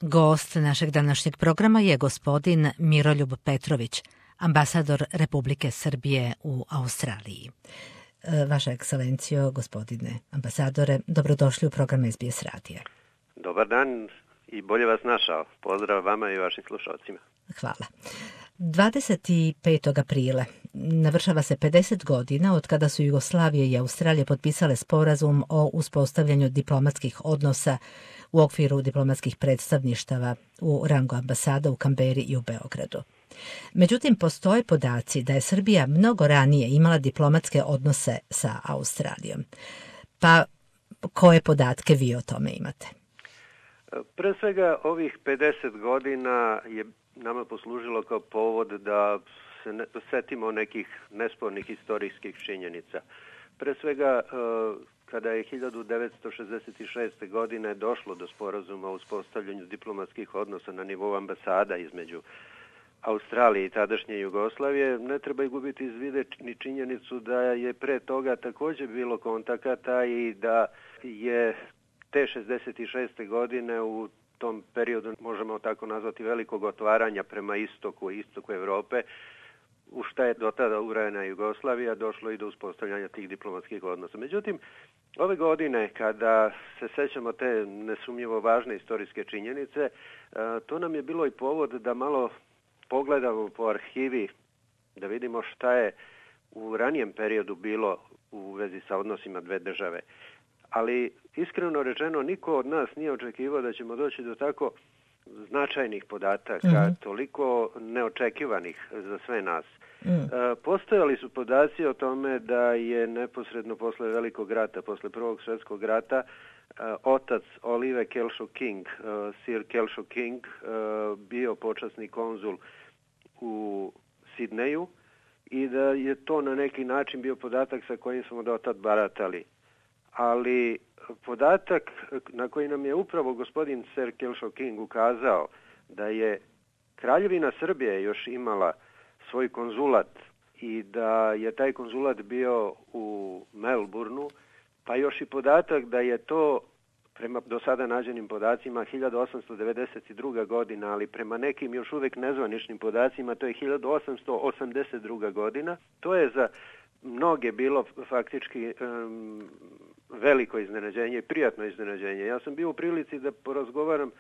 Gost našeg današnjeg programa je gospodin Miroljub Petrović, ambasador Republike Srbije u Australiji. Vaša ekscelencijo, gospodine ambasadore, dobrodošli u program SBS radija. Dobar dan i bolje vas našao. Pozdrav vama i vašim slušalcima. Hvala. 25. aprila navršava se 50 godina od kada su Jugoslavija i Australija potpisale sporazum o uspostavljanju diplomatskih odnosa u okviru diplomatskih predstavništava u rangu ambasada u Kamberi i u Beogradu. Međutim, postoje podaci da je Srbija mnogo ranije imala diplomatske odnose sa Australijom. Pa, koje podatke vi o tome imate? Pre svega, ovih 50 godina je nama poslužilo kao povod da se setimo nekih nespornih istorijskih činjenica. Pre svega, kada je 1966. godine došlo do sporazuma o uspostavljanju diplomatskih odnosa na nivou ambasada između Australije i tadašnje Jugoslavije, ne treba gubiti iz vida ni činjenicu da je pre toga također bilo kontakata i da je te 66. godine u tom periodu, možemo tako nazvati, velikog otvaranja prema istoku Evrope, u šta je do tada uvrajena Jugoslavija, došlo i do uspostavljanja tih diplomatskih odnosa. Međutim, ove godine, kada se sećamo te nesumnjivo važne istorijske činjenice, to nam je bilo i povod da malo pogledamo po arhivi, da vidimo šta je u ranijem periodu bilo u vezi sa odnosima dve države. Ali, iskreno rečeno, niko od nas nije očekivao da ćemo doći do tako značajnih podataka, toliko neočekivanih za sve nas. Postojali su podaci o tome da je neposredno posle Velikog rata, posle Prvog svjetskog rata, otac Olive Kelshaw King, Sir Kelshaw King, bio počasni konzul u Sidneju i da je to na neki način bio podatak sa kojim smo do tad baratali. Ali podatak na koji nam je upravo gospodin Sir Kelshaw King ukazao da je Kraljevina Srbije još imala svoj konzulat i da je taj konzulat bio u Melbourneu, pa još i podatak da je to prema do sada nađenim podacima 1892. godina, ali prema nekim još uvijek nezvaničnim podacima to je 1882. godina. To je za mnoge bilo faktički veliko iznenađenje i prijatno iznenađenje. Ja sam bio u prilici da porazgovaram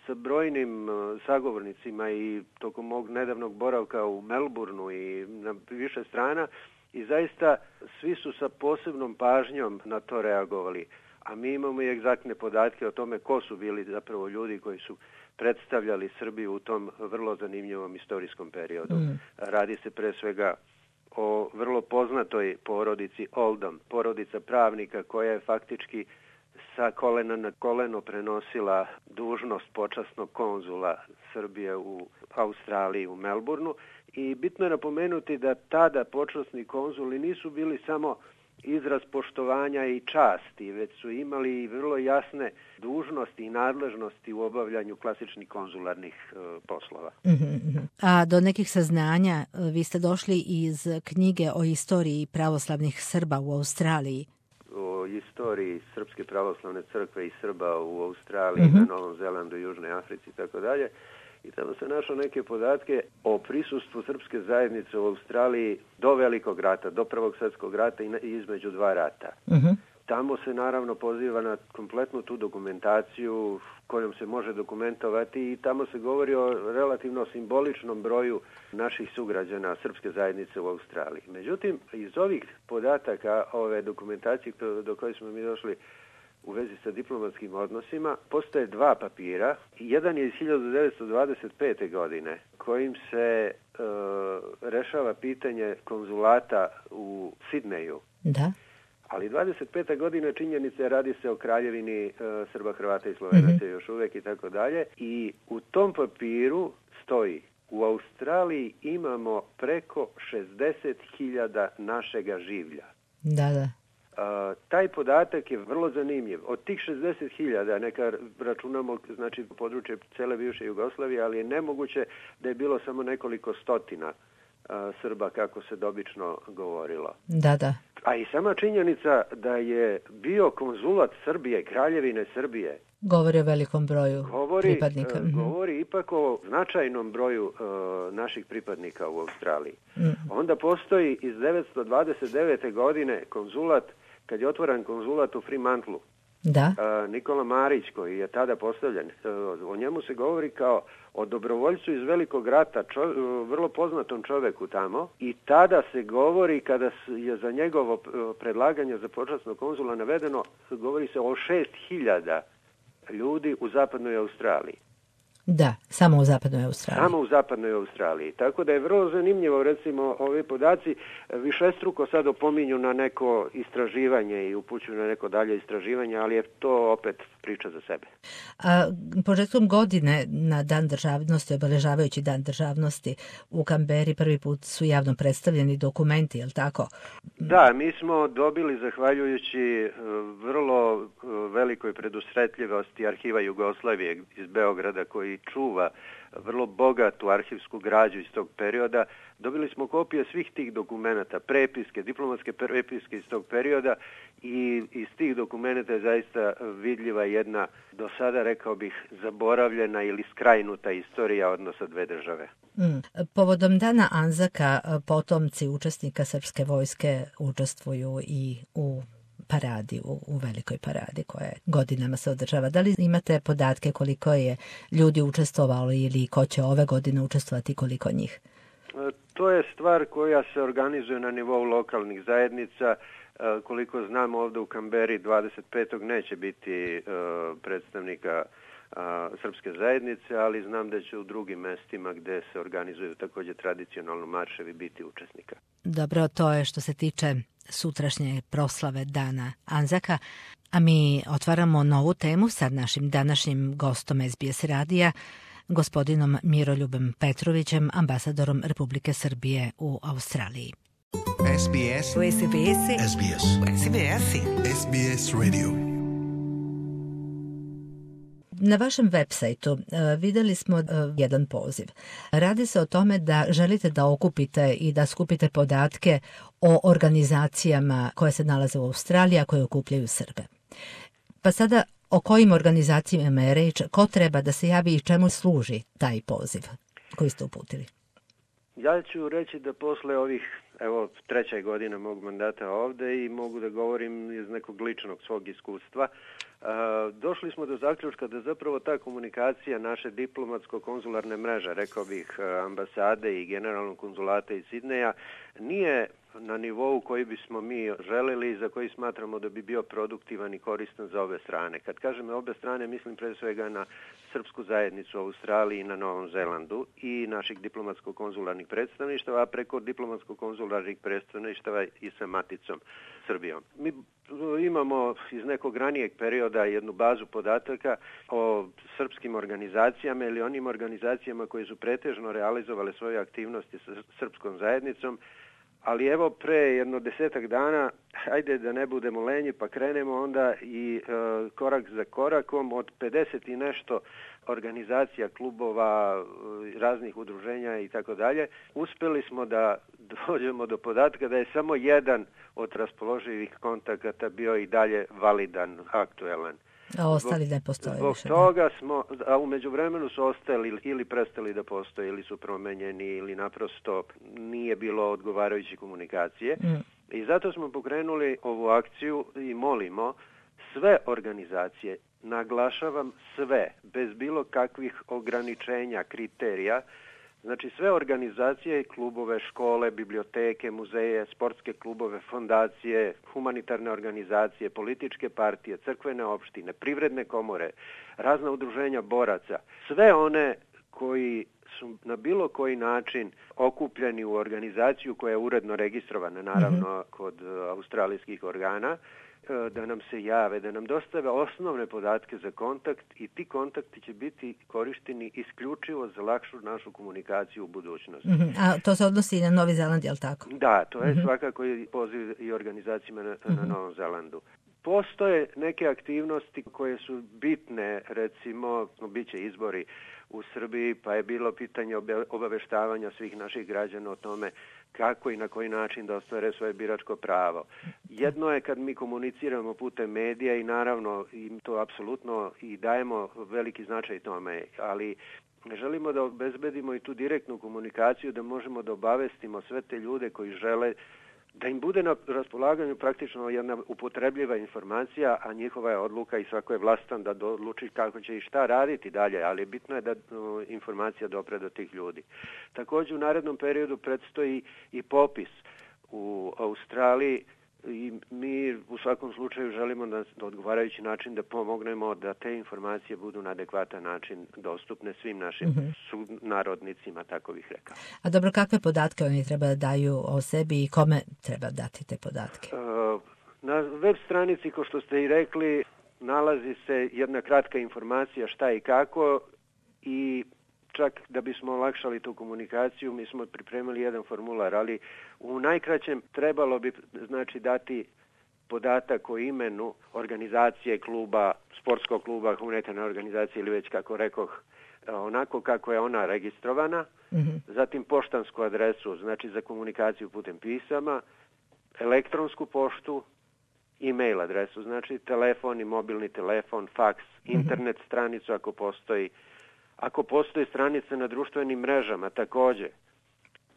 sa brojnim sagovornicima i tokom mog nedavnog boravka u Melbourneu i na više strana i zaista svi su sa posebnom pažnjom na to reagovali. A mi imamo i egzaktne podatke o tome ko su bili zapravo ljudi koji su predstavljali Srbiju u tom vrlo zanimljivom istorijskom periodu. Radi se pre svega o vrlo poznatoj porodici Oldham, porodica pravnika koja je faktički sa kolena na koleno prenosila dužnost počasnog konzula Srbije u Australiji, u Melbourneu. I bitno je napomenuti da tada počasni konzuli nisu bili samo izraz poštovanja i časti, već su imali vrlo jasne dužnosti i nadležnosti u obavljanju klasičnih konzularnih poslova. A do nekih saznanja vi ste došli iz knjige o istoriji pravoslavnih Srba u Australiji. O istoriji Srpske pravoslavne crkve i Srba u Australiji, na Novom Zelandu, Južnoj Africi i tako dalje. I tamo se našao neke podatke o prisustvu srpske zajednice u Australiji do Velikog rata, do Prvog svjetskog rata i između dva rata. Tamo se naravno poziva na kompletnu tu dokumentaciju kojom se može dokumentovati i tamo se govori o relativno simboličnom broju naših sugrađana srpske zajednice u Australiji. Međutim, iz ovih podataka, ove dokumentacije do koje smo mi došli u vezi sa diplomatskim odnosima, postoje dva papira. Jedan je iz 1925. godine kojim se rešava pitanje konzulata u Sidneju. Da. Ali 25. godina činjenica radi se o Kraljevini Srba, Hrvata i Slovenaca još uvijek i tako dalje. I u tom papiru stoji: u Australiji imamo preko 60.000 našega življa. Da. Taj podatak je vrlo zanimljiv. Od tih 60.000, neka računamo, znači područje cele bivše Jugoslavije, ali je nemoguće da je bilo samo nekoliko stotina Srba, kako se dobično govorilo. Da. A i sama činjenica da je bio konzulat Srbije, Kraljevine Srbije Govori o velikom broju pripadnika. Govori ipak o značajnom broju naših pripadnika u Australiji. Onda postoji iz 1929. godine konzulat, kad je otvoren konzulat u Fremantlu. Da. Nikola Marić, koji je tada postavljen, o njemu se govori kao o dobrovoljcu iz Velikog rata, vrlo poznatom čoveku tamo, i tada se govori, kada je za njegovo predlaganje za počasnog konzula navedeno, govori se o 6.000 ljudi u zapadnoj Australiji. Da, samo u zapadnoj Australiji. Samo u zapadnoj Australiji. Tako da je vrlo zanimljivo, recimo, ovi podaci višestruko sad opominju na neko istraživanje i upućuju na neko dalje istraživanje, ali je to opet priča za sebe. Početkom godine na Dan državnosti, obeležavajući Dan državnosti u Kamberi, prvi put su javno predstavljeni dokumenti, je li tako? Da, mi smo dobili, zahvaljujući vrlo velikoj predusretljivosti Arhiva Jugoslavije iz Beograda, koji čuva vrlo bogatu arhivsku građu iz tog perioda, dobili smo kopije svih tih dokumenata, prepiske, diplomatske prepiske iz tog perioda, i iz tih dokumenata je zaista vidljiva jedna, do sada rekao bih, zaboravljena ili skrajnuta istorija odnosa dve države. Povodom Dana Anzaka, potomci učesnika srpske vojske učestvuju i u paradi, u velikoj paradi koja godinama se održava. Da li imate podatke koliko je ljudi učestvovalo ili ko će ove godine učestvovati, koliko njih? To je stvar koja se organizuje na nivou lokalnih zajednica. Koliko znam, ovdje u Kamberi 25. neće biti predstavnika srpske zajednice, ali znam da će u drugim mestima gde se organizuju također tradicionalno marševi biti učesnika. Dobro, to je što se tiče sutrašnje proslave Dana Anzaka, a mi otvaramo novu temu sa našim današnjim gostom SBS radija, gospodinom Miroljubom Petrovićem, ambasadorom Republike Srbije u Australiji. SBS Radio. Na vašem web sajtu vidjeli smo jedan poziv. Radi se o tome da želite da okupite i da skupite podatke o organizacijama koje se nalaze u Australiji, a koje okupljaju Srbe. Pa sada, o kojim organizacijama je reč, ko treba da se javi i čemu služi taj poziv koji ste uputili? Ja ću reći da posle ovih, treća godina mog mandata ovde i mogu da govorim iz nekog ličnog svog iskustva, došli smo do zaključka da zapravo ta komunikacija naše diplomatsko-konzularne mreže, rekao bih ambasade i generalnog konzulata iz Sidneja, nije na nivou koji bismo mi želeli i za koji smatramo da bi bio produktivan i koristan za obe strane. Kad kažem obe strane, mislim pre svega na srpsku zajednicu u Australiji i na Novom Zelandu i naših diplomatsko-konzularnih predstavništava, a preko diplomatsko-konzularnih predstavništava i sa maticom Srbijom. Mi imamo iz nekog ranijeg perioda jednu bazu podataka o srpskim organizacijama ili onim organizacijama koje su pretežno realizovale svoje aktivnosti sa srpskom zajednicom, ali evo pre jedno 10 dana, hajde da ne budemo lenji, pa krenemo onda i korak za korakom od 50 i nešto organizacija, klubova, raznih udruženja i tako dalje. Uspeli smo da dođemo do podatka da je samo jedan od raspoloživih kontakata bio i dalje validan, aktuelan. A ostali ne postoje zbog više. Toga smo, a u međuvremenu su ostali ili prestali da postoje ili su promenjeni ili naprosto nije bilo odgovarajuće komunikacije. I zato smo pokrenuli ovu akciju i molimo sve organizacije, naglašavam sve, bez bilo kakvih ograničenja, kriterija, znači sve organizacije, klubove, škole, biblioteke, muzeje, sportske klubove, fondacije, humanitarne organizacije, političke partije, crkvene opštine, privredne komore, razna udruženja boraca, sve one koji su na bilo koji način okupljeni u organizaciju koja je uredno registrovana, naravno, kod australijskih organa, da nam se jave, da nam dostave osnovne podatke za kontakt i ti kontakti će biti korišteni isključivo za lakšu našu komunikaciju u budućnosti. A to se odnosi i na Novi Zeland, je li tako? Da, to je svakako i poziv i organizacijama na Novom Zelandu. Postoje neke aktivnosti koje su bitne, recimo, bit će izbori u Srbiji, pa je bilo pitanje obaveštavanja svih naših građana o tome kako i na koji način da ostvare svoje biračko pravo. Jedno je kad mi komuniciramo putem medija i naravno im to apsolutno i dajemo veliki značaj tome, ali želimo da obezbedimo i tu direktnu komunikaciju, da možemo da obavestimo sve te ljude koji žele da im bude na raspolaganju praktično jedna upotrebljiva informacija, a njihova je odluka i svako je vlastan da odluči kako će i šta raditi dalje, ali bitno je da informacija dopre do tih ljudi. Također u narednom periodu predstoji i popis u Australiji i mi u svakom slučaju želimo na odgovarajući način da pomognemo da te informacije budu na adekvatan način dostupne svim našim sunarodnicima, tako bih rekao. A dobro, kakve podatke oni treba da daju o sebi i kome treba dati te podatke? Na web stranici, kao što ste i rekli, nalazi se jedna kratka informacija šta i kako i čak da bismo olakšali tu komunikaciju, mi smo pripremili jedan formular, ali u najkraćem trebalo bi dati podatak o imenu organizacije, kluba, sportskog kluba, humanitarne organizacije ili već kako rekoh, onako kako je ona registrovana, zatim poštansku adresu, znači za komunikaciju putem pisama, elektronsku poštu, e-mail adresu, znači telefon i mobilni telefon, faks, internet stranicu ako postoji. Ako postoji stranice na društvenim mrežama, također.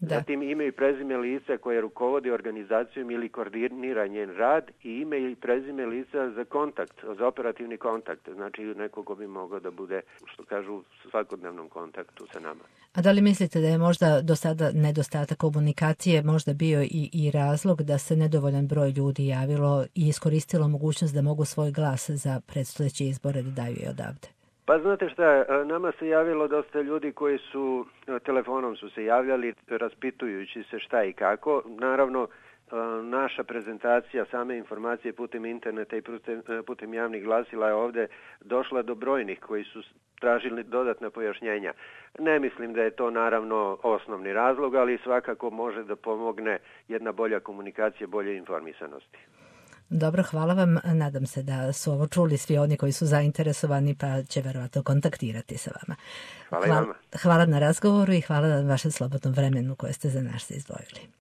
Da. Zatim ime i prezime lica koje rukovodi organizacijom ili koordinira njen rad i ime i prezime lica za kontakt, za operativni kontakt. Znači neko ko bi mogao da bude, što kažu, u svakodnevnom kontaktu sa nama. A da li mislite da je možda do sada nedostatak komunikacije možda bio i razlog da se nedovoljan broj ljudi javilo i iskoristilo mogućnost da mogu svoj glas za predstojeće izbore da daju i odavde? Pa znate šta, nama se javilo dosta ljudi koji su, telefonom su se javljali raspitujući se šta i kako. Naravno, naša prezentacija, same informacije putem interneta i putem javnih glasila je ovdje došla do brojnih koji su tražili dodatna pojašnjenja. Ne mislim da je to naravno osnovni razlog, ali svakako može da pomogne jedna bolja komunikacija, bolje informisanosti. Dobro, hvala vam. Nadam se da su ovo čuli svi oni koji su zainteresovani pa će verovatno kontaktirati sa vama. Hvala i vama. Hvala na razgovoru i hvala na vašem slobodnom vremenu koje ste za nas izdvojili.